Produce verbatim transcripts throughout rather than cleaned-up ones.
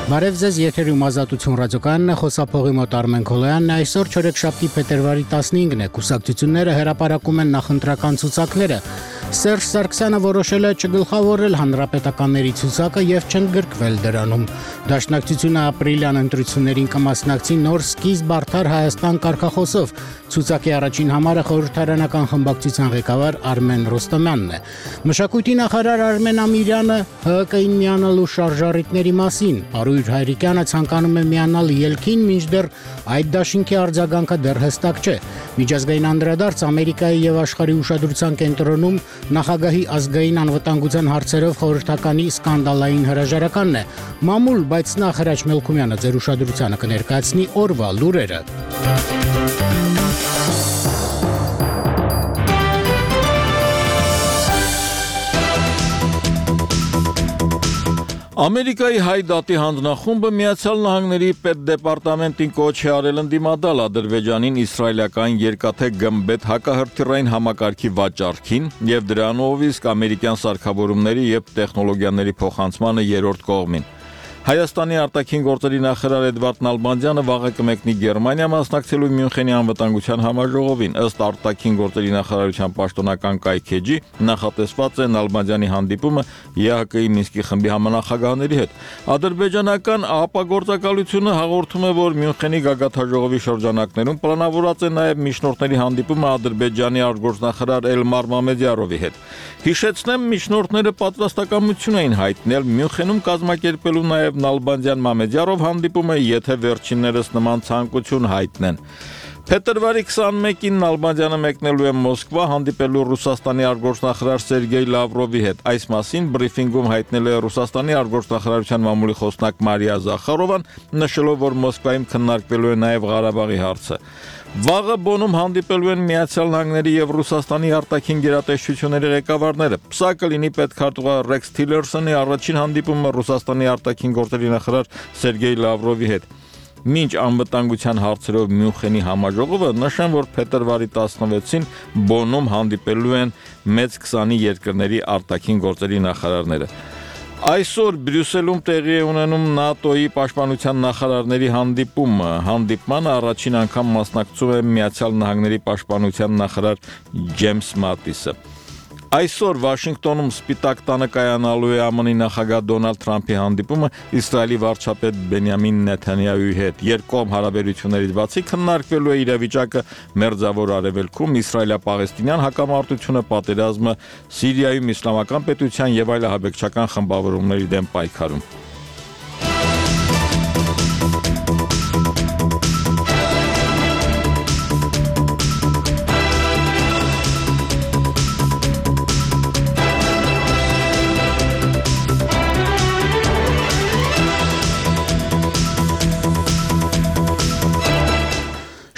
Բարև ձեզ, եթերում Ազատություն ռադիոկայանն է, խոսափողի մոտ Արմեն Քոլոյանն է, այսօր չորեքշաբթի փետրվարի տասնհինգն է, կուսակցությունները հրապարակում են նախընտրական ցուցակները, Սերժ Սարգսյանը որոշել է չգլխավորել հանրապետականների ցուցակը եւ չընդգրկվել դրանում, Դաշնակցությունը ապրիլյան ընտրություններին կմասնակցի նոր սկիզբ արդար Հայաստան կարգախոսով, ցուցակի առաջին համարը խորհրդարանական խմբակցության ղեկավար Արմեն Ռոստոմյանն է, Մշակույթի նախարար Արմեն Ամիրյանը ՀՀԿ-ին միանալու շարժառիթների մասին, Արույր Հայրիկյանը ցանկանում է միանալ ելքին, մինչդեռ այդ դաշինքի արձագանքը դեռ հստակ չէ, Միջազգային անդրադարձ Ամերիկայի եւ աշխարհի ուշադրության կենտրոնում Նախագահի ազգային անվտանգության հարցերով խորհրդականի սկանդալային հրաժարականն է, մամուլ, բայց նախ Հրաչ Մելքումյանը ձեր ուշադրությանը կներկայացնի օրվա լուրերը։ Ամերիկայի հայ դատի հանձնախումբը Միացյալ Նահանգների պետդեպարտամենտին կոչ է արել ընդդիմադալ Ադրբեջանին իսրայելական երկաթե գմբեթ հակահրթիռային համակարգի վաճառքին եւ դրանով իսկ ամերիկյան սարքավորումների եւ տեխնոլոգիաների փոխանցմանը երրորդ կողմին։ Հայաստանի արտաքին գործերի նախարար Էդվարդ Նալբանդյանը վաղը կմեկնի Գերմանիա մասնակցելու Մյունխենի անվտանգության համաժողովին, ըստ արտաքին գործերի նախարարության պաշտոնական կայքեջի նախատեսված է Նալբանդյանի հանդիպումը ԵԱՀԿ-ի Մինսկի խմբի համանախագահների հետ։ Ադրբեջանական ԱՊԱ-գործակալությունը հաղորդում է, որ Մյունխենի գագաթնաժողովի շրջանակներում պլանավորված է նաև միջնորդների հանդիպումը Ադրբեջանի արտգործնախարար Էլմար Մամեդյարովի հետ։ Հիշեցնեմ, միջնորդները պատրաստակամություն էին հայտնել Մյունխենում կազմակերպելու նաև Նալբանդյան Մամեդյարով հանդիպումը, եթե վերջիններս նման ցանկություն հայտնեն։ Փետրվարի քսանմեկին Նալբանդյանը մեկնելու է Մոսկվա հանդիպելու Ռուսաստանի արտգործնախարար Սերգեյ Լավրովի հետ։ Այս մասին բրիֆինգում հայտնել է Ռուսաստանի արտգործնախարարության մամուլի խոսնակ Մարիա Զախարովան, նշելով, որ Մոսկվայում քննարկվելու է նաև Ղարաբաղի հարցը։ Վաղը Բոնում հանդիպելու են Միացյալ Նահանգների եւ Ռուսաստանի արտաքին գերատեսչությունների ղեկավարները։ Սա կլինի պետքարտուղար Ռեքս Թիլերսոնի առաջին հանդիպումը Ռուսաստանի արտաքին գործերի նախարար Սերգեյ Լավրովի հետ։ Մինչ անվտանգության հարցերով Մյունխենի համաժողովը, նշեմ, որ փետրվարի տասնվեցին Բոնում հանդիպելու են մեծ քսանի երկրների արտաքին գործերի նախարարները։ Այսօր Բրյուսելում տեղի է ունենում ՆԱՏՕ-ի պաշտպանության նախարարների հանդիպումը, հանդիպմանը առաջին անգամ մասնակցում է Միացյալ Նահանգների պաշտպանության նախարար Ջեյմս Մատիսը։ Այսօր Վաշինգտոնում Սպիտակ տանը կայանալու է ԱՄՆ-ի նախագահ Դոնալդ Թրամփի հանդիպումը Իսրայելի վարչապետ Բենյամին Նեթանյահուի հետ։ Երկկողմ հարաբերություններից բացի քննարկվելու է իրավիճակը Մերձավոր Արևելքում, իսրայելա-պաղեստինյան հակամարտությունը, պատերազմը Սիրիայում իսլամական պետության եւ այլ ահաբեկչական խմբավորումների դեմ պայքարում։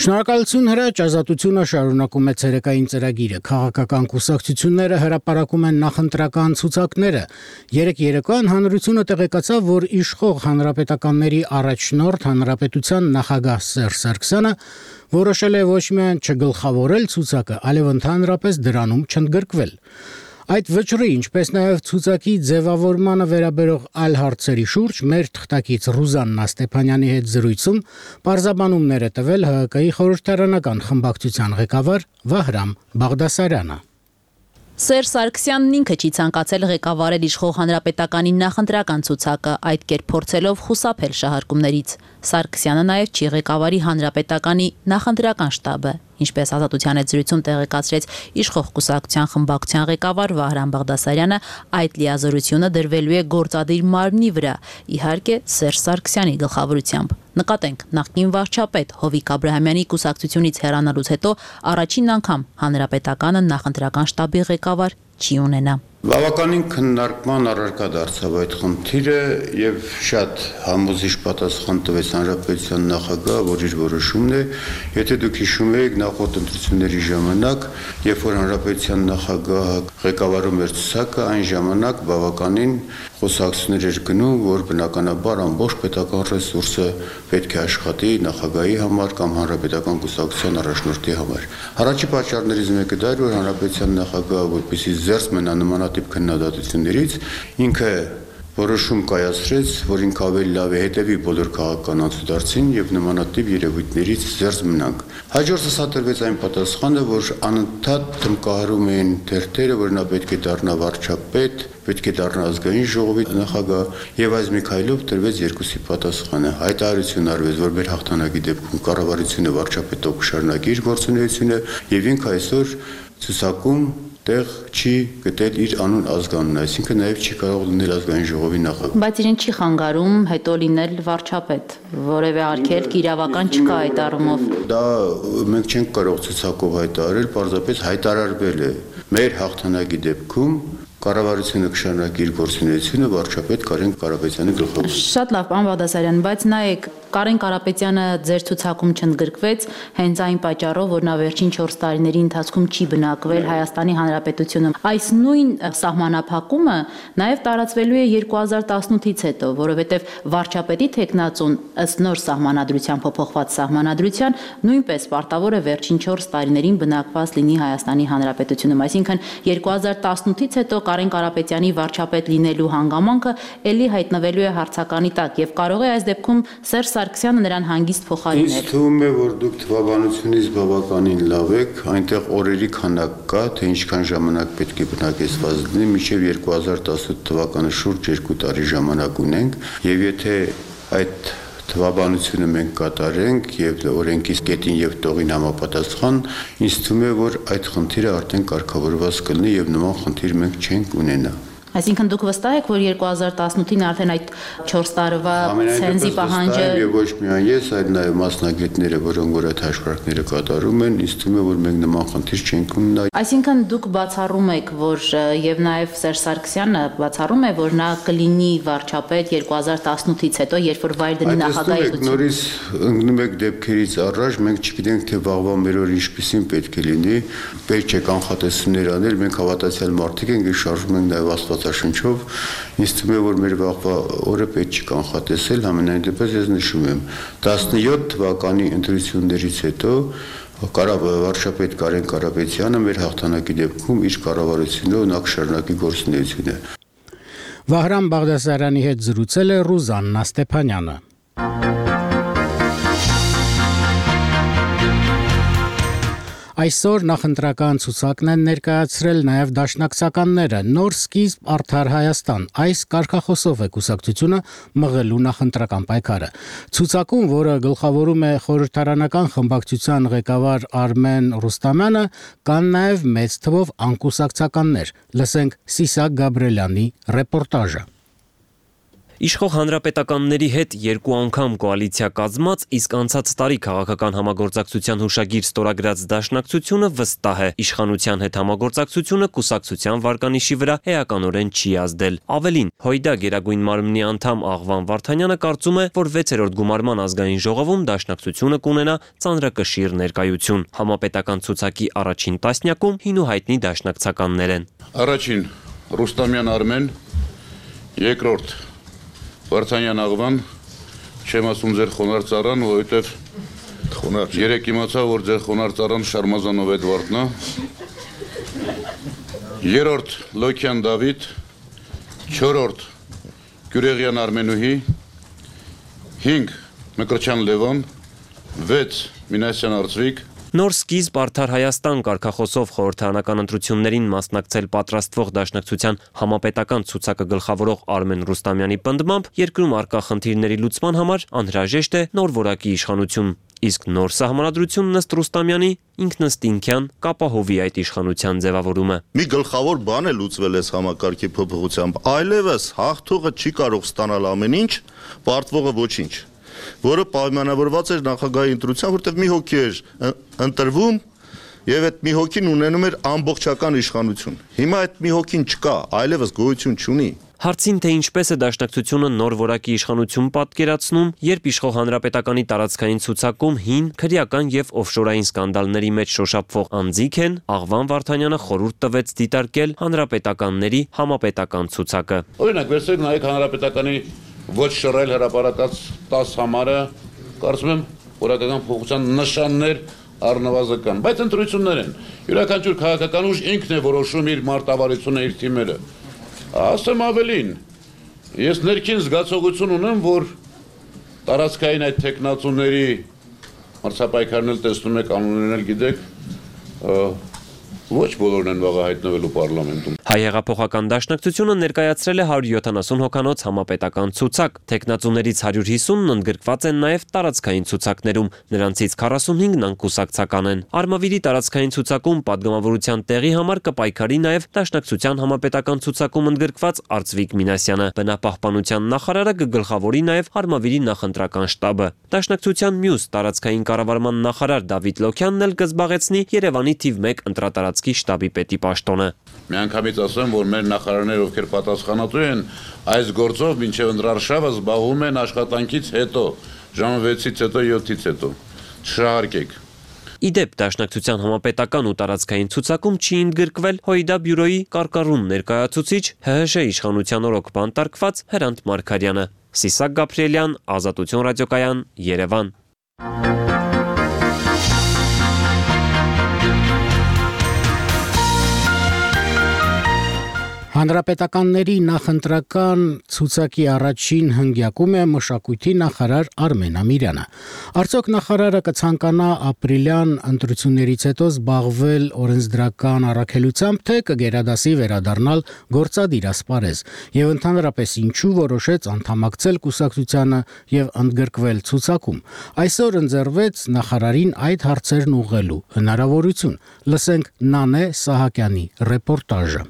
Շնորհակալություն Հրաչ, Ազատությունը շարունակում է ցերեկային ծրագիրը, քաղաքական կուսակցությունները հրապարակում են նախընտրական ցուցակները, երեկ երեկոյան հանրությունը տեղեկացավ, որ իշխող հանրապետականների առաջնորդ հանրապետության նախագահ Սերժ Սարգսյանը որոշել է ոչ միայն չգլխավորել ցուցակը, այլև ընդհանրապես դրանում չընդգրկվել։ Այդ վճռի, ինչպես նաև ցուցակի ձևավորմանը վերաբերող այլ հարցերի շուրջ մեր թղթակից Ռուզաննա Ստեփանյանի հետ զրույցում պարզաբանումներ է տվել ՀՀԿ-ի խորհրդարանական խմբակցության ղեկավար Վահրամ Բաղդասարյանը։ Սերժ Սարգսյանն ինքը չի ցանկացել ղեկավարել իշխող հանրապետականի նախընտրական ցուցակը, այդ կերպ փորձելով խուսափել շահարկումներից։ Սարգսյանը նաև չի ղեկավարի հանրապետականի նախընտրական շտաբը, ինչպես Ազատության հետ զրույցում տեղեկացրեց իշխող կուսակցության խմբակցության ղեկավար Վահրամ Բաղդասարյանը, այդ լիազորությունը դրվելու է գործադիր մարմնի վրա, իհարկե Սերժ Սարգսյանի գլխավորությամբ։ Նկատենք, նախկին վարչապետ Հովիկ Աբրահամյանի կուսակցությունից հեռանալուց հետո առաջին անգամ հանրապետականը նախընտրական շտաբի ղեկավար չի ունենա։ Բավականին քննարկման առարկա դարձավ այդ խնդիրը եւ շատ համոզիչ պատասխան տվեց հանրապետության նախագահը, որ իր որոշումն է, եթե դուք հիշում եք նախորդ ընտրությունների ժամանակ, երբ որ հանրապետության նախագահը ղեկավարում էր ցուցակը, այն ժամանակ բավականին խոսակցություններ էր գնում, որ բնականաբար ամբողջ պետական ռեսուրսը պետք է աշխատի նախագահի համար կամ հանրապետական կուսակցության առաջնորդի համար։ Առաջի պատճառներից մեկը դա էր, որ հանրապետության նախագահը, որպեսզի զերծ մնա նմանատիպ քննադատություններից, ինքը որոշում կայացրեց, որ ինքը ավելի լավ է հետևի բոլոր քաղաքական անցուդարձին եւ նմանատիպ երևույթներից զերծ մնանք։ Հաջորդը սա տրվեց այն պատասխանը, որ անընդհատ տնկահարում էին թերթերը, որ նա պետք է դառնա վարչապետ, պետք է դառնա ազգային ժողովի նախագահ, եւ այս մի քայլով տրվեց երկուսի պատասխանը։ Հայտարարություն արվեց, որ մեր հաղթանակի դեպքում կառավարությունը վարչապետով կշարունակի իր գործունեությունը եւ ինքը այսօր ցուցակում տեղ չի գտել իր անուն ազգանունը, այսինքն նաև չի կարող լինել ազգային ժողովի նախագահ։ Բայց իրեն չի խանգարում հետո լինել վարչապետ, որևէ արգելք իրավական չկա այդ առումով։ Դա մենք չենք կարող ցուցակով հայտարարել, պարզապես հայտարարվել է մեր հաղթանակի դեպքում կառավարությունը կշարունակի իր գործունեությունը վարչապետ Կարեն Կարապետյանի գլխավորությամբ։ Շատ լավ, պարոն Բաղդասարյան, բայց նայեք, Կարեն Կարապետյանը ձեր ցուցակում չընդգրկվեց հենց այն պատճառով, որ նա վերջին չորս տարիների ընթացքում չի բնակվել Հայաստանի Հանրապետությունում։ Այս նույն սահմանափակումը նաև տարածվելու է երկու հազար տասնութից հետո, որովհետև վարչապետի թեկնածուն ըստ նոր սահմանադրության փոփոխված սահմանադրության նույնպես պարտավոր է վերջին չորս տարիներին բնակված լինի Հայաստանի Հանրապետությունում, այսինքն երկու հազար տասնութից հետո Կարեն Կարապետյանի վարչապետ լինելու հանգամանքը ելի հայտնվելու է հարցականի տակ եւ կարող է այս դեպքում Սերժ Սարգսյանը նրան հանգիստ փոխարինել։ Ինձ թվում է, որ դուք թվաբանությունից բավականին լավ եք, այնտեղ օրերի քանակ կա, թե ինչքան ժամանակ պետք է բնակեցված լինի, մինչև երկու հազար տասնութ թվականը շուրջ երկու տարի ժամանակ ունենք, եւ եթե այդ թվաբանությունը մենք կատարենք եւ օրենքի կետին եւ տողին համապատասխան, ինձ թվում է, որ այդ խնդիրը արդեն կարգավորված կլինի եւ նման խնդիր մենք չենք ունենա։ Այսինքն դուք վստահ եք, որ երկու հազար տասնութին արդեն այդ չորս տարվա ցենզի պահանջը եւ ոչ միայն ես, այլ նաեւ մասնագետները, որոնք որ այդ հաշվարկները կատարում են, ինձ թվում է, որ մենք նման խնդիր չենք ունենա։ Այսինքն դուք բացառում եք, որ եւ նաեւ Սերժ Սարգսյանը բացառում է, որ նա կլինի վարչապետ երկու հազար տասնութից հետո, երբ որ վայր դնի նախագահություն։ Նորից ընկնում եք դեպքերից առաջ, մենք չգիտենք թե վաղվա մեր օր ինչպեսին պետք է լինի, պետք է կանխատեսումներ անել, մենք հավատացյալ մարդիկ ենք եւ շարժում ենք նաեւ Աստվածաշնչով, ինձ թվում է, որ մեր վաղվա օրը պետք չի կանխատեսել, համենայն դեպս ես նշում եմ տասնյոթ թվականի ընտրություններից հետո վարչապետ Կարեն Կարապետյանը մեր հաղթանակի դեպքում իր կառավարությունով նա կշարունակի գործունեությունը։ Վահրամ Բաղդասարյանի հետ զրուցել է Ռուզաննա Ստեփանյանը։ Այսօր նախընտրական ցուցակն են ներկայացրել նաև դաշնակցականները նոր սկիզբ արդար Հայաստան։ Այս կարգախոսով է կուսակցությունը մղելու նախընտրական պայքարը։ Ցուցակում, որը գլխավորում է խորհրդարանական խմբակցության ղեկավար Արմեն Ռուստամյանը, կան նաև մեծ թվով անկուսակցականներ։ Լսենք Սիսակ Գաբրելյանի ռեպորտաժը։ Իշխող հանրապետականների հետ երկու անգամ կոալիցիա կազմած, իսկ անցած տարի քաղաքական համագործակցության հուշագիր ստորագրած դաշնակցությունը վստահ է, իշխանության հետ համագործակցությունը կուսակցության վարկանիշի վրա էականորեն չի ազդել։ Ավելին, Հույդա Գերագույն մարմնի անդամ Աղվան Վարդանյանը կարծում է, որ վեցերորդ գումարման ազգային ժողովում դաշնակցությունը կունենա ծանրակշիռ ներկայություն։ Համապետական ցուցակի առաջին տասնյակում հին ու հայտնի դաշնակցականներ են։ Առաջին Ռուստամյան Արմեն, երկրորդ Վարդանյան Աղվան, չեմ ասում ձեր խոնար ծառան, որովհետև երեք իմացա, որ ձեր խոնար ծառան Շարմազանով Էդվարդն է։ Երրորդ Լոքյան Դավիթ, չորրորդ Գյուրեղյան Արմենուհի, հինգ Մկրտչյան Լևոն, վեց Մինասյան Արծվիկ։ Նոր սկիզբ արդար Հայաստան կարգախոսով խորհրդարանական ընտրություններին մասնակցել պատրաստվող դաշնակցության համապետական ցուցակը գլխավորող Արմեն Ռուստամյանի պնդմամբ երկրում առկա խնդիրների լուծման համար անհրաժեշտ է նոր որակի իշխանություն, իսկ նոր սահմանադրությունն ըստ Ռուստամյանի ինքնըստինքյան կապահովի այդ իշխանության ձևավորումը։ Մի գլխավոր բան է լուծվել այս համակարգի փոփոխությամբ, այլևս հաղթողը չի կարող ստանալ ամեն ինչ, պարտվողը ոչինչ, որը պայմանավորված էր նախագահի ընտրության, որտեղ մի հոգի էր ընտրվում եւ այդ մի հոգին ունենում էր ամբողջական իշխանություն։ Հիմա այդ մի հոգին չկա, այլևս գոյություն չունի։ Հարցին, թե ինչպես է դաշնակցությունը նոր որակի իշխանություն պատկերացնում, երբ իշխող հանրապետականի տարածքային ցուցակում հին, քրեական եւ օֆշորային սկանդալների մեջ շոշափվող անձիկ են, Աղվան Վարդանյանը խորհուրդ տվեց դիտարկել հանրապետականների համապետական ցուցակը։ Օրինակ, վերցրեք նայեք հանրապետականի ոչ շռայլ հրապարակած տաս համարը, կարծում եմ որակական փոխության նշաններ առնվազն, բայց ընտրություններ են։ Յուրաքանչյուր քաղաքական ուժ ինքն է որոշում իր մարտավարությունը, իր թիմերը։ Ասեմ ավելին, Ես ներքին զգացողություն ունեմ, որ տարածքային այդ տեխնացուների մրցապայքարն էլ տեսնում եք, անուններն էլ գիտեք, ոչ բոլորն են վաղը հայտնվելու պարլամենտում։ Հայ հեղափոխական դաշնակցությունը ներկայացրել է հարյուր յոթանասուն հոգանոց համապետական ցուցակ, տեխնացուներից հարյուր հիսունն ընդգրկված են նաև տարածքային ցուցակներում, նրանցից քառասունհինգն անկուսակցական են։ Արմավիրի տարածքային ցուցակում падգամավորության տեղի համար կպայքարի նաև դաշնակցության համապետական ցուցակում ընդգրկված Արծվիկ Մինասյանը, բնապահպանության նախարարը կգլխավորի նաև Արմավիրի նախընտրական շտաբը։ Դաշնակցության մյուս տարածքային կառավարման նախարար Դավիթ Լոքյանն էլ կզբաղեցնի Երևանի թիվ մեկ ընտրատարածքի շտաբի պետի պաշտոնը։ Միանգամից ասեմ, որ մեր նախարարները, ովքեր պատասխանատու են այս գործով մինչև ընտրարշավը զբաղվում են աշխատանքից հետո, ժամը վեցից հետո, յոթից հետո։ Չշահարկեք։ Իդեպ դաշնակցության համապետական ու տարածքային ցուցակում չի ընդգրկվել ՀՅԴ բյուրոյի կարկառուն ներկայացուցիչ ՀՀՇ իշխանության օրոք բանտարկված Հրանտ Մարգարյանը։ Սիսակ Գաբրիելյան, Ազատություն ռադիոկայան, Երևան։ Հանրապետականների նախընտրական ցուցակի առաջին հնգյակում է մշակույթի նախարար Արմեն Ամիրյանը։ Արդյոք նախարարը կցանկանա ապրիլյան ընտրություններից հետո զբաղվել օրենսդրական առաքելությամբ, թե կգերադասի վերադառնալ գործադիր ասպարեզ, եւ ընդհանրապես ինչու որոշեց անդամակցել կուսակցությանը եւ ընդգրկվել ցուցակում։ Այսօր ընձեռվեց նախարարին այդ հարցերն ուղղելու հնարավորություն։ Լսենք Նանե Սահակյանի ռեպորտաժը։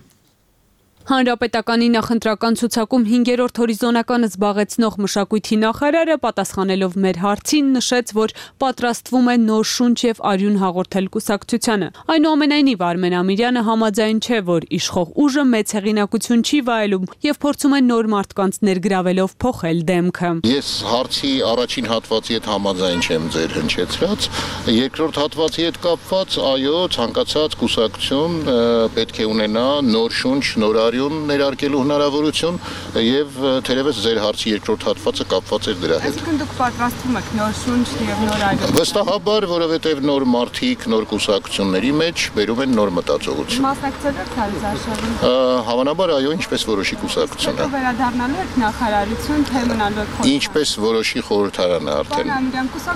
Հանրապետականի նախընտրական ցուցակում հինգերորդ հորիզոնականը զբաղեցնող մշակույթի նախարարը պատասխանելով մեր հարցին նշեց, որ պատրաստվում է նոր շունչ եւ արյուն հաղորդել կուսակցությանը։ Այնուամենայնիվ Արմեն Ամիրյանը համաձայն չէ, որ իշխող ուժը մեծ հեղինակություն չի վայելում եւ փորձում է նոր մարդկանց ներգրավելով փոխել դեմքը։ Ես հարցի առաջին հատվածի հետ համաձայն չեմ ձեր հնչեցրած, երկրորդ հատվածի հետ կապված, այո, ցանկացած կուսակցություն պետք է ունենա նոր շունչ, նոր ներարկելու հնարավորություն եւ թերևս ձեր հարցի երկրորդ հատվածը կապված էր դրա հետ։ Այսինքն դուք պատրաստվում եք նոր շունչ եւ նոր այլ։ Վստահաբար, որովհետեւ նոր մարդիկ, նոր կուսակցությունների մեջ բերում են նոր մտածողություն։ Մասնակցել եք հարցաշարին։ Հավանաբար, այո, ինչպես որոշի կուսակցությունը։ Վերադառնալու եք նախարարություն, թե մնալու եք խորհրդարան։ Ինչպես որոշի խորհրդարանը արդեն։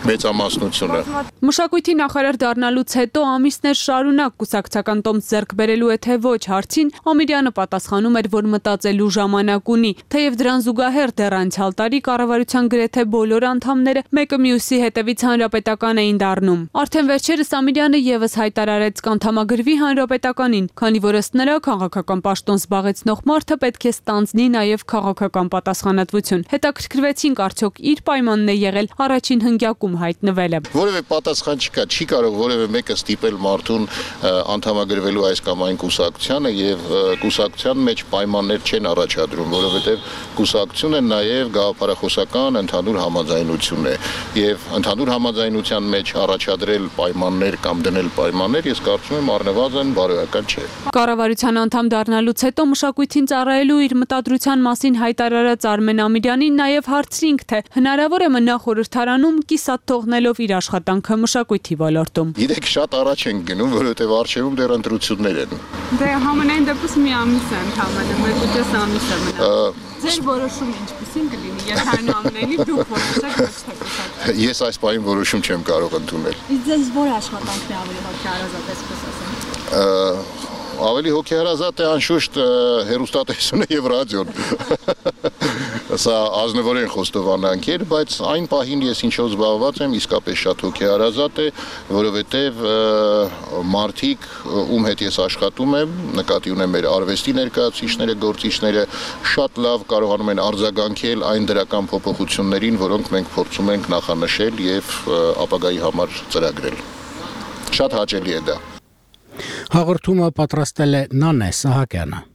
Մեծամասնությունը։ Մշակույթի նախարար դառնալուց հետո ամիսներ շարունակ կուսակցական տոմս ձեռք բերելու է թե ոչ հարցին Ամիրյանը պատասխանում էր, որ մտածելու ժամանակ ունի, թեև դրան զուգահեռ դեռ անցյալ տարի կառավարության գրեթե բոլոր անդամները մեկը մյուսի հետևից հանրապետական էին դառնում։ Արդեն վերջերս Ամիրյանը եւս հայտարարեց կանդամագրվի հանրապետականին, քանի որ ըստ նրա քաղաքական պաշտոն զբաղեցնող մարդը պետք է ստանձնի նաեւ քաղաքական պատասխանատվություն։ Հետաքրքրվեցինք արդյոք իր պայմանն է եղել առաջին հնգյակում հայտնվելը։ Որևէ պատասխան չկա, չի կարող որևէ մեկը ստիպել մարդուն անդամագրվելու այս կամ այն կուսակցությանը եւ կուսակցության մեջ պայմաններ չեն առաջադրում, որովհետև կուսակցությունը նաև գաղափարախոսական ընդհանուր համաձայնություն է եւ ընդհանուր համաձայնության մեջ առաջադրել պայմաններ կամ դնել պայմաններ, ես կարծում եմ առնվազն բարոյական չէ։ Կառավարության անդամ դառնալուց հետո մշակույթին ծառայելու իր մտադրության մասին հայտարարած Արմեն Ամիրյանին նաև հարցրինք, թե հնարավոր է մնա խորհրդարանում կիսատ թողնելով իր աշխատանքը մշակույթի ոլորտում։ Գիտեք, շատ առաջ են գնում, որովհետև առջևում դեռ ընտրություններ են։ Դե համենայն դեպս մի ամիս է ընդհանրապես, մեկ ու կես ամիս է մնա։ Ձեր որոշումը ինչպիսին կլինի, եթե այնուամենայնիվ դուք որոշեք ոչ թե կուսակցություն։ Ես այս պահին որոշում չեմ կարող ընդունել։ Իսկ ձեզ որ աշխատանքն է ավելի հոգեհարազատ, այսպես ասեմ։ Ավելի հոգեհարազատ է անշուշտ հեռուստատեսությունը եւ ռադիոն։ Սա ազնվորեն խոստովանանքեր, բայց այն պահին ես ինչով զբաղված եմ, իսկապես շատ հոգեհարազատ է, որովհետեւ մարդիկ, ում հետ ես աշխատում եմ, նկատի ունեմ մեր արվեստի ներկայացուցիչները, գործիչները, շատ լավ կարողանում են արձագանքել այն դրական փոփոխություններին, որոնք մենք փորձում ենք նախանշել եւ ապագայի համար ծրագրել։ Շատ հաճելի է դա։ Հաղորդումը պատրաստել է Նանե Սահակյանը։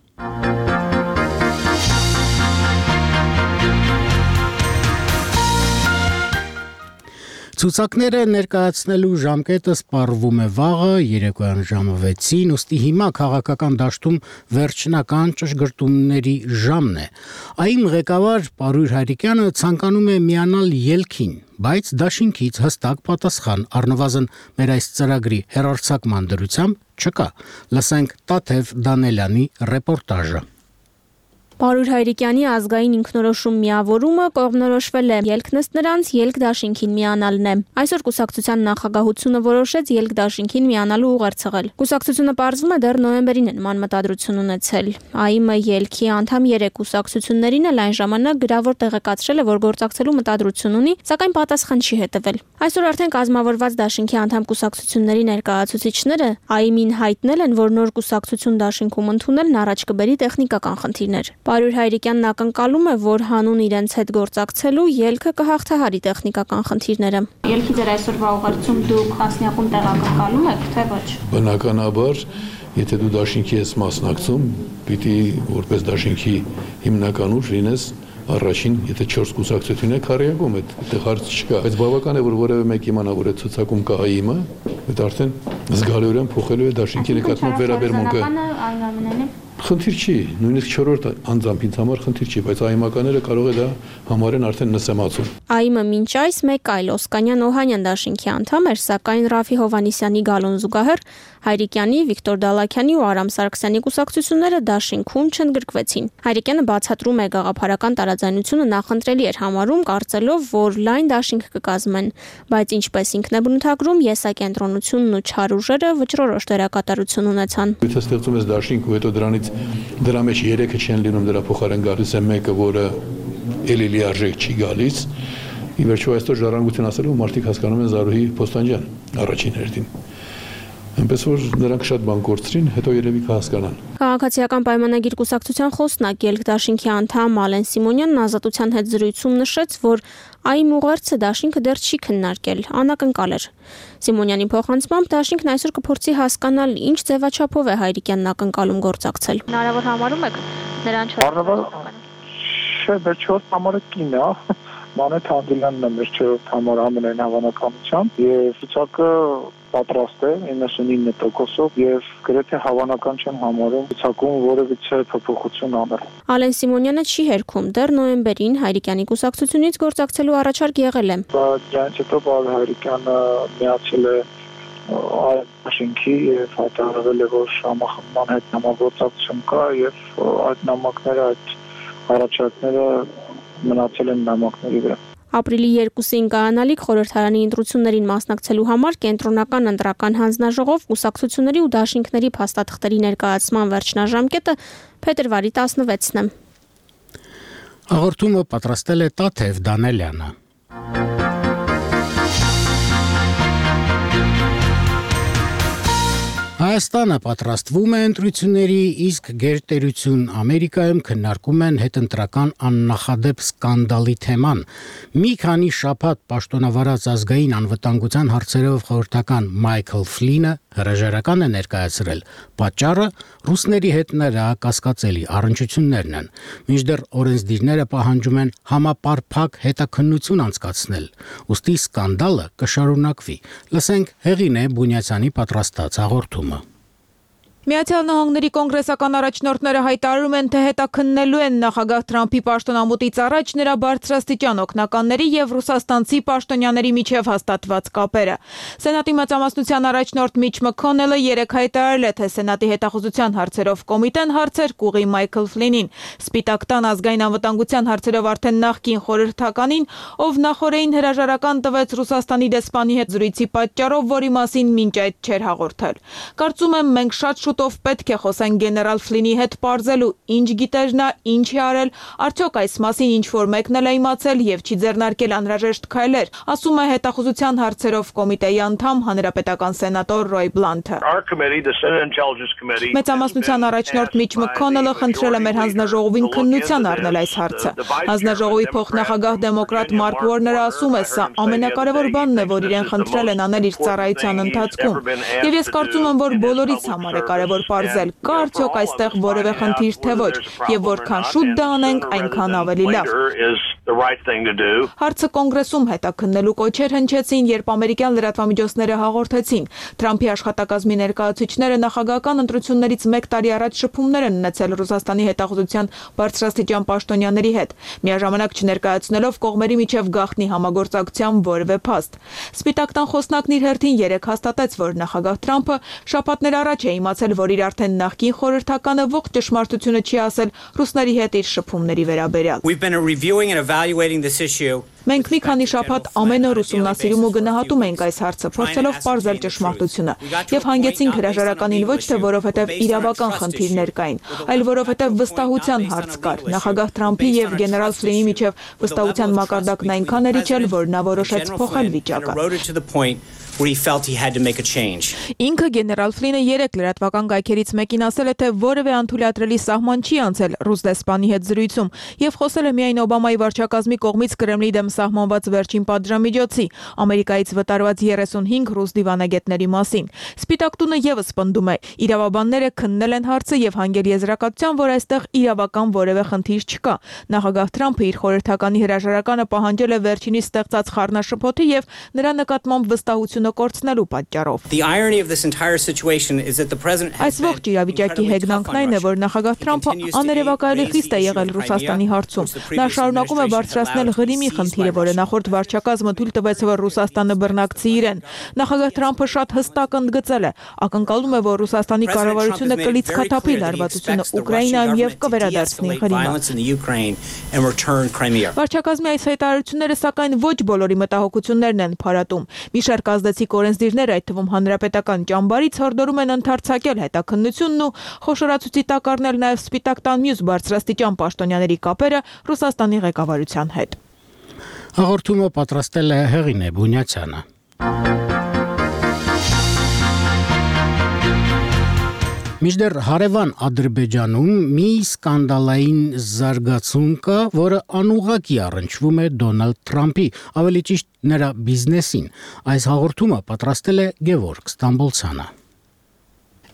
Ցուցակները ներկայացնելու ժամկետը սպառվում է վաղը երեկոյան ժամը վեցին, ուստի հիմա քաղաքական դաշտում վերջնական ճշգրտումների ժամն է։ Այն ղեկավար Պարույր Հայրիկյանը ցանկանում է միանալ ելքին, բայց դաշինքից հստակ պատասխան առնվազն մեր այս ծրագրի հեռարձակման դրությամբ չկա։ Լսենք Տաթև Դանելյանի ռեպորտաժը։ Պարուր Հայրիկյանի ազգային ինքնորոշում միավորումը կողմնորոշվել է ելքն նրանց ելք դաշինքին միանալն է։ Այսօր կուսակցության նախագահությունը որոշեց ելք դաշինքին միանալու ուղերձել։ Կուսակցությունը պարզվում է դեռ նոյեմբերին է նման մտադրություն ունեցել։ ԱԻՄ ելքի անդամ երեք կուսակցություններին էլ այն ժամանակ գրավոր տեղեկացրել է, որ գործակցելու մտադրություն ունի, սակայն պատասխան չի հետևել։ Այսօր արդեն կազմավորված դաշինքի անդամ կուսակցությունների ներկայացուցիչները ԱԻՄ-ին հայտնել են, որ նոր կուսակցություն դաշինքում ընդունելն առաջ կբերի տեխնիկական խնդիրներ։ Պարուր Հայրիկյանն ակնկալում է, որ հանուն իրենց հետ գործակցելու ելքը կհաղթահարի տեխնիկական խնդիրները։ Ելքի ձեր այսօրվա ուղերձում դուք տասնյակում տեղակայում եք, թե ոչ։ Բնականաբար, եթե դու դաշինքի ես մասնակցում, պիտի որպես դաշինքի հիմնական ուժ լինես առաջին, եթե չորս կուսակցություն է քարեակում, այդտեղ հարց չկա, բայց բավական է, որ որևէ մեկ իմանա, որ այդ ցուցակում կա ԱԻՄ-ը, այդ արդեն զգալիորեն փոխելու է դաշինքի նկատմամբ վերաբերմունքը։ Խնդիր չի, նույնիսկ չորրորդ անձամբ ինձ համար խնդիր չի, բայց ԱԻՄ-ականները կարող է դա համարեն արդեն նսեմացում։ ԱԻՄ-ը մինչ այս մեկ այլ Օսկանյան-Օհանյան դաշինքի անդամ էր, սակայն Ռաֆի Հովհաննիսյանի գալուն զուգահեռ Հայրիկյանի, Վիկտոր Դալաքյանի ու Արամ Սարգսյանի կուսակցությունները դաշինքում չընդգրկվեցին։ Հայրիկյանը բացատրում է գաղափարական տարաձայնությունը նախընտրելի էր համարում, կարծելով, որ լայն դաշինք կկազմեն, բայց ինչպես ինքն է բնութագրում, եսակենտրոնությունն ու չար ուժերը վճռորոշ դերակատարություն ունեցան։ Եթե ստեղծում ես դաշինք ու հետո դրանից դրա մեջ երեքը չեն լինում, դրա փոխարեն գալիս է մեկը, որը էլի լիարժեք չի գալիս, ի վերջո այսօր ժառանգություն ասելով մարդիկ հասկանում են Զարուհի Փոստանջյան առաջին հերթին։ Այնպես որ նրանք շատ բան կորցրին, հետո երևի կհասկանան։ Քաղաքացիական պայմանագիր կուսակցության խոսնակ ելք դաշինքի անդամ Ալեն Սիմոնյանն Ազատության հետ զրույցում նշեց, որ ԱԻՄ ուղերձը դաշինքը դեռ չի քննարկել, անակնկալ էր։ Սիմոնյանի փոխանցմամբ դաշինքն այսօր կփորձի հասկանալ, ինչ ձևաչափով է Հայրիկյանն ակնկալում գործակցել։ Հնարավոր համարում եք նրան չորս։ Չէ, մեր չորս համարը կին է։ Մանեթ Հանդիլյանն է մեր չորրորդ համար ամենայն հավանականությամբ եւ ցուցակը պատրաստ է իննսունինը տոկոսով եւ գրեթե հավանական չեմ համարում ցուցակում որևիցե փոփոխություն անել։ Ալեն Սիմոնյանը չի հերքում, դեռ նոյեմբերին Հայրիկյանի կուսակցությունից գործակցելու առաջարկ եղել է։ Բայց հետո Պարուր Հայրիկյանը միացել է դաշինքի եւ հայտարարել է, որ համախմբման հետ համագործակցություն կա եւ այդ նամակները, այդ առաջարկները մնացել են նամակների վրա։ Ապրիլի երկուսին կայանալիք խորհրդարանի ընտրություններին մասնակցելու համար կենտրոնական ընտրական հանձնաժողով կուսակցությունների ու դաշինքների փաստաթղթերի ներկայացման վերջնաժամկետը փետրվարի տասնվեցն է։ Հաղորդումը պատրաստել է Տաթև Դանելյանը։ Հայաստանը պատրաստվում է ընտրությունների, իսկ գերտերություն Ամերիկայում քննարկում են հետընտրական աննախադեպ սկանդալի թեման։ Մի քանի շաբաթ պաշտոնավարած ազգային անվտանգության հարցերով խորհրդական Մայքլ Ֆլինը հրաժարական է ներկայացրել։ Պատճառը ռուսների հետ նրա կասկածելի առնչություններն են։ Մինչդեռ օրենսդիրները պահանջում են համապարփակ հետաքննություն անցկացնել։ Ուստի սկանդալը կշարունակվի։ Լսենք Հեղինե Բունյացյանի պատրաստած հաղորդումը։ Միացյալ Նահանգների կոնգրեսական առաջնորդները հայտարարում են, թե հետաքննելու են նախագահ Թրամփի պաշտոնամուտից առաջ նրա բարձրաստիճան օգնականների եւ ռուսաստանցի պաշտոնյաների միջև հաստատված կապերը։ Սենատի մեծամասնության առաջնորդ Միչ Մքոնելը երեկ հայտարարել է, թե Սենատի հետախուզության հարցերով կոմիտեն հարցեր կուղի Մայքլ Ֆլինին, Սպիտակ տան ազգային անվտանգության հարցերով արդեն նախկին խորհրդականին, ով նախորդին հրաժարական տվեց Ռուսաստանի դեսպանի հետ զրույցի պատճառով, որի մասին մինչ այդ չէր հաղորդել։ Կարծում եմ, մենք շատ շուտով պետք է խոսենք գեներալ Ֆլինի հետ պարզելու, ինչ գիտեր նա, ինչ է արել, արդյոք այս մասին ինչ որ մեկն էլ է իմացել եւ չի ձեռնարկել անհրաժեշտ քայլեր, ասում է հետախուզության հարցերով կոմիտեի անդամ հանրապետական սենատոր Ռոյ Բլանթը։ Մեծամասնության առաջնորդ Միչ Մքոնելը խնդրել է մեր հանձնաժողովին քննության առնել այս հարցը։ Հանձնաժողովի փոխնախագահ դեմոկրատ Մարկ Ուորները ասում է, սա ամենակարևոր բանն է, որ իրեն խնդրել են անել իր ծառայության ընթացքում։ Եվ ես կարծում եմ, որ բոլորից համար է կարևոր պարզել, կա արդյոք այստեղ որևէ խնդիր թե ոչ, եւ որքան շուտ դա անենք, այնքան ավելի լավ։ the right thing to do. Հարցը կոնգրեսում հետաքննելու կոչեր հնչեցին, երբ ամերիկյան լրատվամիջոցները հաղորդեցին. Թրամփի աշխատակազմի ներկայացուցիչները նախագահական ընտրություններից մեկ տարի առաջ շփումներ են ունեցել Ռուսաստանի հետախուզության բարձրաստիճան պաշտոնյաների հետ, միաժամանակ չներկայացնելով կողմերի միջև գաղտնի համագործակցության որևէ փաստ։ Սպիտակ տան խոսնակն իր հերթին երեկ հաստատեց, որ նախագահ Թրամփը շաբաթներ առաջ է իմացել, որ իր արդեն նախկին խորհրդականը ողջ ճշմարտությունը չի ասել ռուսների հետ իր շփումների վերաբերյալ։ Մենք մի քանի շաբաթ ամեն օր ուսումնասիրում ու գնահատում ենք այս հարցը, փորձելով պարզել ճշմարտությունը, եւ հանգեցինք հրաժարականին ոչ թե որովհետեւ իրավական խնդիրներ կային, այլ որովհետեւ վստահության հարց կար։ Նախագահ Թրամփի եւ գեներալ Ֆլինի միջև վստահության մակարդակն այնքան էր իջել, որ նա որոշեց փոխել վիճակը։ Where he felt he had to make a change. Ինքը գեներալ Ֆլինը երեք լրատվական կայքերից մեկին ասել է, թե որևէ անթույլատրելի սահման չի անցել ռուս դեսպանի հետ զրույցում եւ խոսել է միայն Օբամայի վարչակազմի կողմից Կրեմլի դեմ սահմանված վերջին պատժամիջոցի, Ամերիկայից վտարված երեսունհինգ ռուս դիվանագետների մասին։ Սպիտակ տունը եւս պնդում է, իրավաբանները քննել են հարցը եւ հանգել եզրակացության, որ այստեղ իրավական որևէ խնդիր չկա։ Նախագահ Թրամփը իր խորհրդականի հրաժարականը պահանջել է վերջինիս ստեղծած խառնաշփոթի եւ նրա նկատմամբ վստահություն կորցնելու պատճառով։ Այս ողջ իրավիճակի հեգնանքն այն է, որ նախագահ Թրամփը աներևակայելի խիստ է եղել Ռուսաստանի հարցում։ Նա շարունակում է բարձրացնել Ղրիմի խնդիրը, որը նախորդ վարչակազմը թույլ տվեց, որ Ռուսաստանը բռնակցի իրեն։ Նախագահ Թրամփը շատ հստակ ընդգծել է, ակնկալում է, որ Ռուսաստանի կառավարությունը կլիցքաթափի լարվածությունը Ուկրաինայում եւ կվերադարձնի Ղրիմը։ Վարչակազմի այս հայտարարությունները սակայն ոչ բոլորի մտահոգություններն են փարատում։ Մի շարք ազդեցիկ օրենսդիրներ, այդ թվում հանրապետական ճամբարից, հորդորում են ընդարձակել հետաքննությունն ու խոշորացուցի տակ առնել նաև Սպիտակ տան մյուս բարձրաստիճան պաշտոնյաների կապերը Ռուսաստանի ղեկավարության հետ։ Հաղորդումը պատրաստել է Հեղինե Բունյացյանը։ Մինչդեռ հարևան Ադրբեջանում մի սկանդալային զարգացում կա, որը անուղղակի առնչվում է Դոնալդ Թրամփի, ավելի ճիշտ նրա բիզնեսին։ Այս հաղորդումը պատրաստել է Գևորգ Ստամբոլցյանը։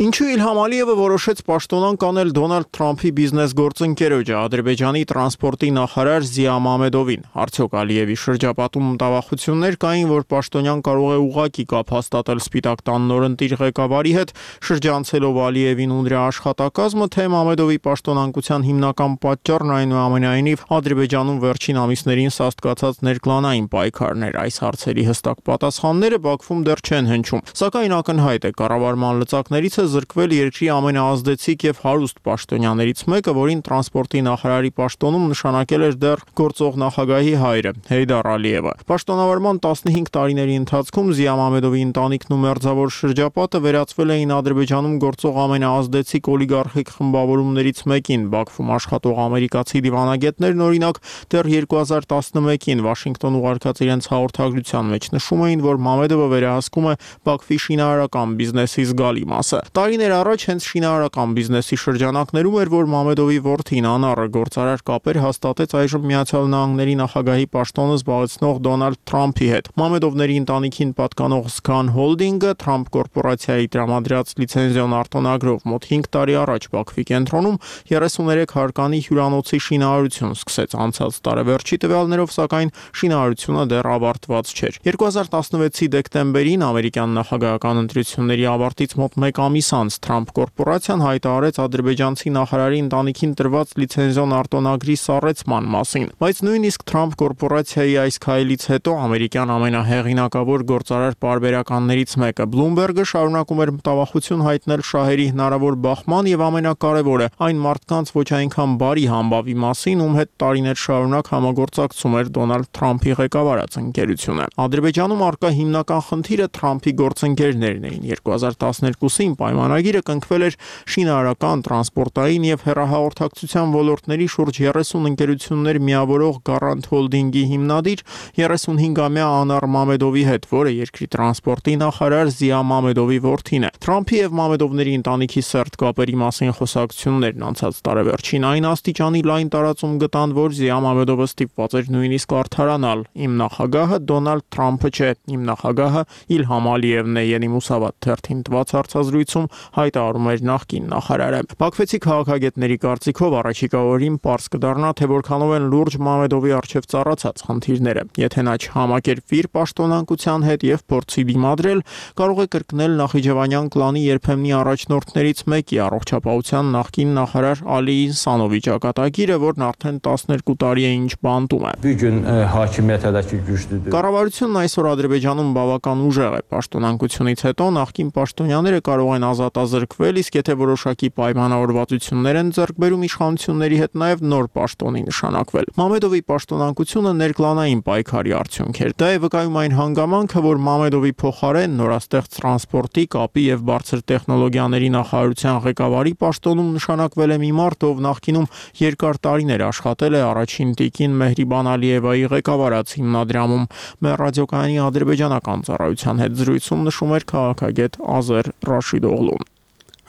Ինչու Իլհամ Ալիևը որոշեց պաշտոնան կանել Դոնալդ Թրամփի բիզնես գործընկերոջը, Ադրբեջանի տրանսպորտի նախարար Զիա Մամեդովին։ Արդյոք Ալիևի շրջապատում մտավախություններ կային, որ պաշտոնյան կարող է ուղղակի կապ հաստատել Սպիտակ տան նորընտիր ղեկավարի հետ, շրջանցելով Ալիևին ու նրա աշխատակազմը, թե Մամեդովի պաշտոնանկության հիմնական պատճառն այնուամենայնիվ Ադրբեջանում վերջին ամիսներին սաստկացած ներկլանային պայքարներ։ Այս հարցերի հստակ պատասխանները Բաքվում դեռ չեն հնչում, սակայն ակնհայտ է կառավարման լծակներից է զրկվել երկրի ամենաազդեցիկ եւ հարուստ պաշտոնյաներից մեկը, որին տրանսպորտի նախարարի պաշտոնում նշանակել էր դեռ գործող նախագահի հայրը Հեյդար Ալիևը։ Պաշտոնավարման տասնհինգ տարիների ընթացքում Զիա Մամեդովի ընտանիքն ու մերձավոր շրջապատը վերածվել էին Ադրբեջանում գործող ամենաազդեցիկ օլիգարխիկ խմբավորումներից մեկին։ Բաքվում աշխատող ամերիկացի դիվանագետներն օրինակ դեռ երկու հազար տասնմեկին Վաշինգտոն ուղարկած իրենց հաղորդագրության մեջ նշում էին, որ Մամեդովը վերահսկում է Բաքվի շինարարական բիզնեսի զգալի մասը։ Տարիներ առաջ հենց շինարարական բիզնեսի շրջանակներում էր, որ Մամեդովի որդին Անարը գործարար կապեր հաստատեց այժմ Միացյալ Նահանգների նախագահի պաշտոնը զբաղեցնող Դոնալդ Թրամփի հետ։ Մամեդովների ընտանիքին պատկանող Scan Holding-ը Թրամփ կորպորացիայի տրամադրած լիցենզիոն արտոնագրով մոտ հինգ տարի առաջ Բաքվի կենտրոնում երեսուներեք հարկանի հյուրանոցի շինարարություն սկսեց։ Անցած տարեվերջի տվյալներով, սակայն շինարարությունը դեռ ավարտված չէր։ երկու հազար տասնվեցի դեկտեմբերին ամերիկյան նախագահական ընտրությունների ավարտից մոտ մեկ ամիս անց Թրամփ կորպորացիան հայտարարեց ադրբեջանցի նախարարի ընտանիքին տրված լիցենզիոն արտոնագրի սառեցման մասին, բայց նույնիսկ Թրամփ կորպորացիայի այս քայլից հետո ամերիկյան ամենահեղինակավոր գործարար պարբերականներից մեկը Bloomberg-ը շարունակում էր մտավախություն հայտնել շահերի հնարավոր բախման եւ ամենակարևորը այն մարդկանց ոչ այնքան բարի համբավի մասին, ում հետ տարիներ շարունակ համագործակցում էր Դոնալդ Թրամփի ղեկավարած ընկերությունը։ Ադրբեջանում առկա հիմնական խնդիրը Թրամփի գործընկերներն էին։ երկու հազար տասներկուսին պայմանագիրը կնքվել էր շինարարական, տրանսպորտային եւ հեռահաղորդակցության ոլորտների շուրջ երեսուն ընկերություններ միավորող Garant Holding-ի հիմնադիր երեսունհինգամյա Անար Մամեդովի հետ, որը երկրի տրանսպորտի նախարար Զիա Մամեդովի որդին է։ Թրամփի եւ Մամեդովների ընտանիքի սերտ կապերի մասին խոսակցություններն անցած տարեվերջին այն աստիճանի լայն տարածում գտան, որ Զիա Մամեդովը ստիպված էր նույնիսկ արդարանալ. «Իմ նախագահը Դոնալդ Թրամփը չէ, իմ նախագահը Իլհամ Ալիևն է», Ենի Մուսավատ թերթին տված հարցազրույցում հարցում հայտարարում էր նախկին նախարարը։ Բաքվեցի քաղաքագետների կարծիքով առաջիկա օրին պարզ կդառնա, թե որքանով են լուրջ Մամեդովի առջև ծառացած խնդիրները։ Եթե նա չհամակերպվի իր պաշտոնանկության հետ եւ փորձի դիմադրել, կարող է կրկնել Նախիջևանյան կլանի երբեմնի առաջնորդներից մեկի առողջապահության նախկին նախարար Ալի Ինսանովի ճակատագիրը, որն արդեն տասներկու տարի է ինչ բանտում է։ Bu gün hakimiyyətədəki güclüdür. Կառավարությունն այսօր Ադրբեջանում բավական ուժեղ է։ Պաշտոնանկությունից հետո նախկին պաշտոնյաները կարող են ազատազրկվել, իսկ եթե որոշակի պայմանավորվածություններ են ձեռք բերում իշխանությունների հետ, նաև նոր պաշտոնի նշանակվել։ Մամեդովի պաշտոնանկությունը ներկլանային պայքարի արդյունք էր։ Դա է վկայում այն հանգամանքը, որ Մամեդովի փոխարեն նորաստեղծ տրանսպորտի, կապի եւ բարձր տեխնոլոգիաների նախարարության ղեկավարի պաշտոնում նշանակվել է մի մարդ, ով նախկինում երկար տարիներ աշխատել է առաջին տիկին Մեհրիբան Ալիևայի ղեկավարած հիմնադրամում։ Մեր ռադիոկայանի ադրբեջանական ծառայության հետ զրույցում նշում էր քաղաքագետ Ազեր Ռաշիդօղլուն։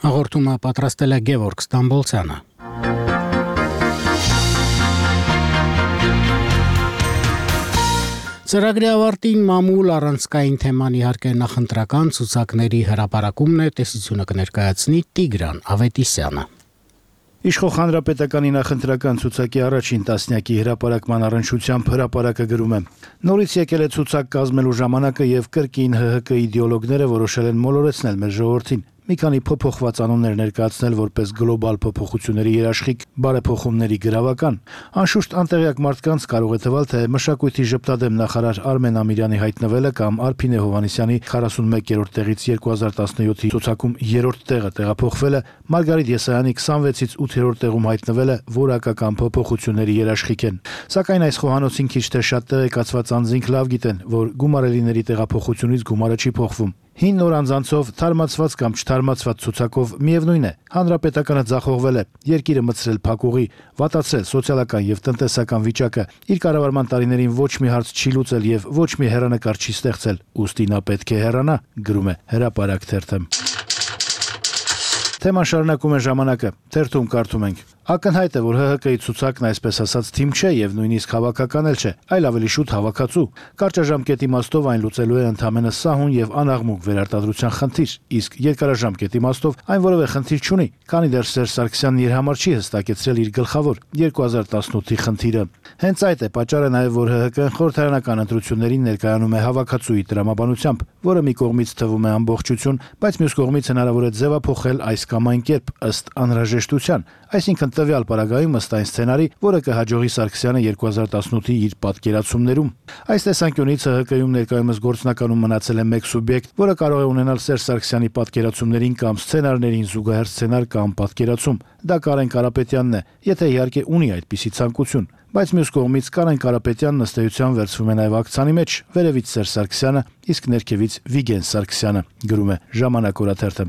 Հաղորդումը պատրաստել է Գևորգ Ստամբոլցյանը։ Ծրագրի ավարտին մամուլ առանցքային թեման իհարկե նախընտրական ցուցակների հրապարակումն է, տեսությունը կներկայացնի Տիգրան Ավետիսյանը։ Իշխող հանրապետականի նախընտրական ցուցակի առաջին տասնյակի հրապարակման առնչությամբ հրապարակը գրում է. Նորից եկել է ցուցակ կազմելու ժամանակը եւ կրկին Հ Հ Կ իդեոլոգները որոշել են մոլորեցնել մեր ժողովրդին։ Մի քանի փոփոխված անուններ ներկայացնել որպես գլոբալ փոփոխությունների երաշխիք, բարեփոխումների գրավական։ Անշուշտ անտեղյակ մարդկանց կարող է թվալ, թե մշակույթի ժպտադեմ նախարար Արմեն Ամիրյանի հայտնվելը կամ Արփինե Հովհաննիսյանի քառասունմեկերորդ տեղից երկու հազար տասնյոթի ցուցակում երրորդ տեղը տեղափոխվելը, Մարգարիտ Եսայանի քսանվեցից ութերորդ տեղում հայտնվելը որակական փոփոխությունների երաշխիք են։ Սակայն այս խոհանոցին քիչ թե շատ տեղեկացված անձինք լավ գիտեն, որ գումարելիների տեղափոխությունից գումարը չի փոխվում։ Հին նոր անձանցով թարմացված կամ չթարմացված ցուցակով միևնույն է, հանրապետականը ձախողվել է, երկիրը մտցրել փակուղի, վատացրել սոցիալական եւ տնտեսական վիճակը, իր կառավարման տարիներին ոչ մի հարց չի լուծել եւ ոչ մի հեռանկար չի ստեղծել, ուստի նա պետք է հեռանա, գրում է Հրապարակ թերթը։ Թեման շարունակում է Ժամանակը, թերթում կարդում ենք. Ակնհայտ է, որ Հ Հ Կ-ի ցուցակն այսպես ասած թիմ չէ եւ նույնիսկ հավաքական էլ չէ, այլ ավելի շուտ հավաքածու։ Կարճաժամկետ իմաստով այն լուծելու է ընդհանրապես սահուն եւ անաղմուկ վերարտադրության խնդիր, իսկ երկարաժամկետ իմաստով այն որևէ խնդիր չունի, քանի դեռ Սերժ Սարգսյանն իր համար չի հստակեցրել իր գլխավոր երկու հազար տասնութի խնդիրը։ Հենց այդ է պատճառը նաեւ, որ Հ Հ Կ-ն խորհրդարանական ընտրություններին ներկայանում է հավաքածուի տրամաբանությամբ, որը մի կողմից թվում է ամբողջություն, բայց մյուս կողմից հնարավոր է ձևափոխել այս կամ այն կերպ ըստ անհրաժեշտության, այսինքն տվյալ պարագայում ըստ այն սցենարի, որը կհաջողի Սարգսյանը երկու հազար տասնութի իր պատկերացումներում։ Այս տեսանկյունից Հ Հ Կ-ում ներկայումս գործնականում մնացել է մեկ սուբյեկտ, որը կարող է ունենալ Սերժ Սարգսյանի պատկերացումներին կամ սցենարներին զուգահեռ սցենար կամ պատկերացում։ Դա Կարեն Կարապետյանն է, եթե իհարկե ունի այդպիսի ցանկություն։ Բայց մյուս կողմից Կարեն Կարապետյանն ըստ էության վերցվում է նաև ակցանի մեջ, վերևից Սերժ Սարգսյանը, իսկ ներքևից Վիգեն Սարգսյանը, գրում է Ժամանակ օրաթերթը։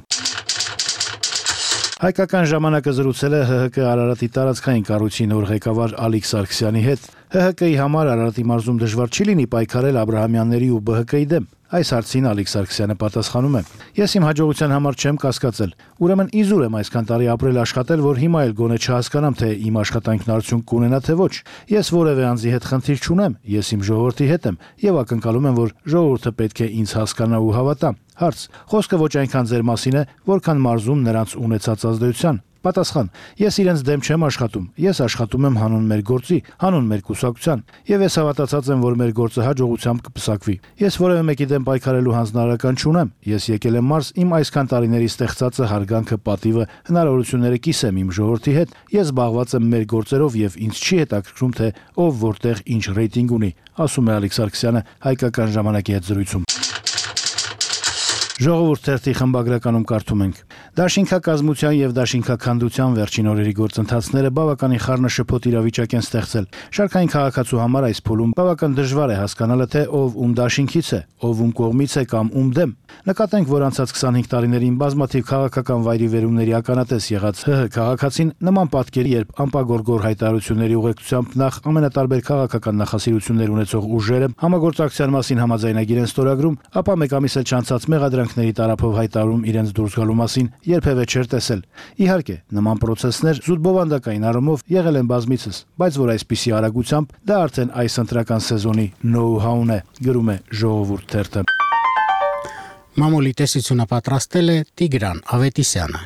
Հայկական ժամանակը զրուցել է Հ Հ Կ Արարատի տարածքային կառույցի նոր ղեկավար Ալիկ Սարգսյանի հետ։ Հ Հ Կ-ի համար Արարատի մարզում դժվար չի լինի պայքարել Աբրահամյանների ու Բ Հ Կ-ի դեմ։ Այս հարցին Ալիկ Սարգսյանը պատասխանում է. Ես իմ հաջողության համար չեմ կասկածել։ Ուրեմն իզուր եմ այսքան տարի ապրել աշխատել, որ հիմա էլ գոնե չհասկանամ, թե իմ աշխատանքն արդյունք կունենա թե ոչ։ Ես որևէ անձի հետ խնդիր չունեմ, ես իմ ժողովրդի հետ եմ եւ ակնկալում եմ, որ ժողովուրդը պետք է ինձ հասկանա ու հավատա։ Հարց. Խոսքը ոչ այնքան ձեր մասին է, որքան մարզում նրանց ունեցած ազդեցության։ Պատասխան. Ես իրենց դեմ չեմ աշխատում, ես աշխատում եմ հանուն մեր գործի, հանուն մեր կուսակցության, եւ ես հավատացած եմ, որ մեր գործը հաջողությամբ կպսակվի։ Ես որևէ մեկի դեմ պայքարելու հանձնարարական չունեմ, ես եկել եմ մարզ իմ այսքան տարիների ստեղծածը, հարգանքը, պատիվը, հնարավորությունները կիսեմ իմ ժողովրդի հետ, ես զբաղված եմ մեր գործերով եւ ինձ չի հետաքրքրում, թե ով որտեղ ինչ ռեյտինգ ունի, ասում է Ալիկ Սարգսյանը Հայկական ժամանակի հետ զրույցում։ Ժողովուրդ թերթի խմբագրականում կարդում ենք. Դաշինքակազմության եւ դաշինքաքանդության վերջին օրերի գործընթացները բավականին խառնաշփոթ իրավիճակ են ստեղծել։ Շարքային քաղաքացու համար այս փուլում բավական դժվար է հասկանալը, թե ով ում դաշինքից է, ով ում կողմից է կամ ում դեմ։ Նկատենք, որ անցած քսանհինգ տարիներին բազմաթիվ քաղաքական վայրի վերումների ականատես եղած Հ Հ քաղաքացին նման պատկերի, երբ անպագորգոր հայտարարությունների ուղեկցությամբ նախ ամենատարբեր քաղաքական նախասիրություններ ունեցող ուժերը համագործակցության մասին համաձայնագիր են ստորագրում, ապա մեկ ամիս էլ չանցած մեղադրանքների տարափով հայտարարում իրենց դուրս գալու մասին երբևէ չէր տեսել։ Իհարկե, նման պրոցեսներ զուտ բովանդակային առումով եղել են բազմիցս, բայց որ այսպիսի արագությամբ դա արդեն այս ընտրական սեզոնի know-how-ն է, գրում է Ժողովուրդ թերթը։ Մամուլի տեսությունը պատրաստել է Տիգրան Ավետիսյանը։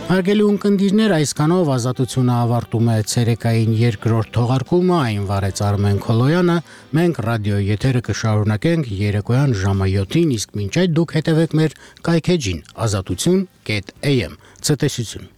Հարգելի ունկնդիրներ, այսքանով Ազատությունը ավարտում է ցերեկային երկրորդ թողարկումը, այն վարեց Արմեն Քոլոյանը, մենք ռադիոյի եթերը կշարունակենք երեկոյան ժամը յոթին, իսկ մինչ այդ դուք հետևեք մեր կայքեջին ազատություն կետ am։ Ցտեսություն։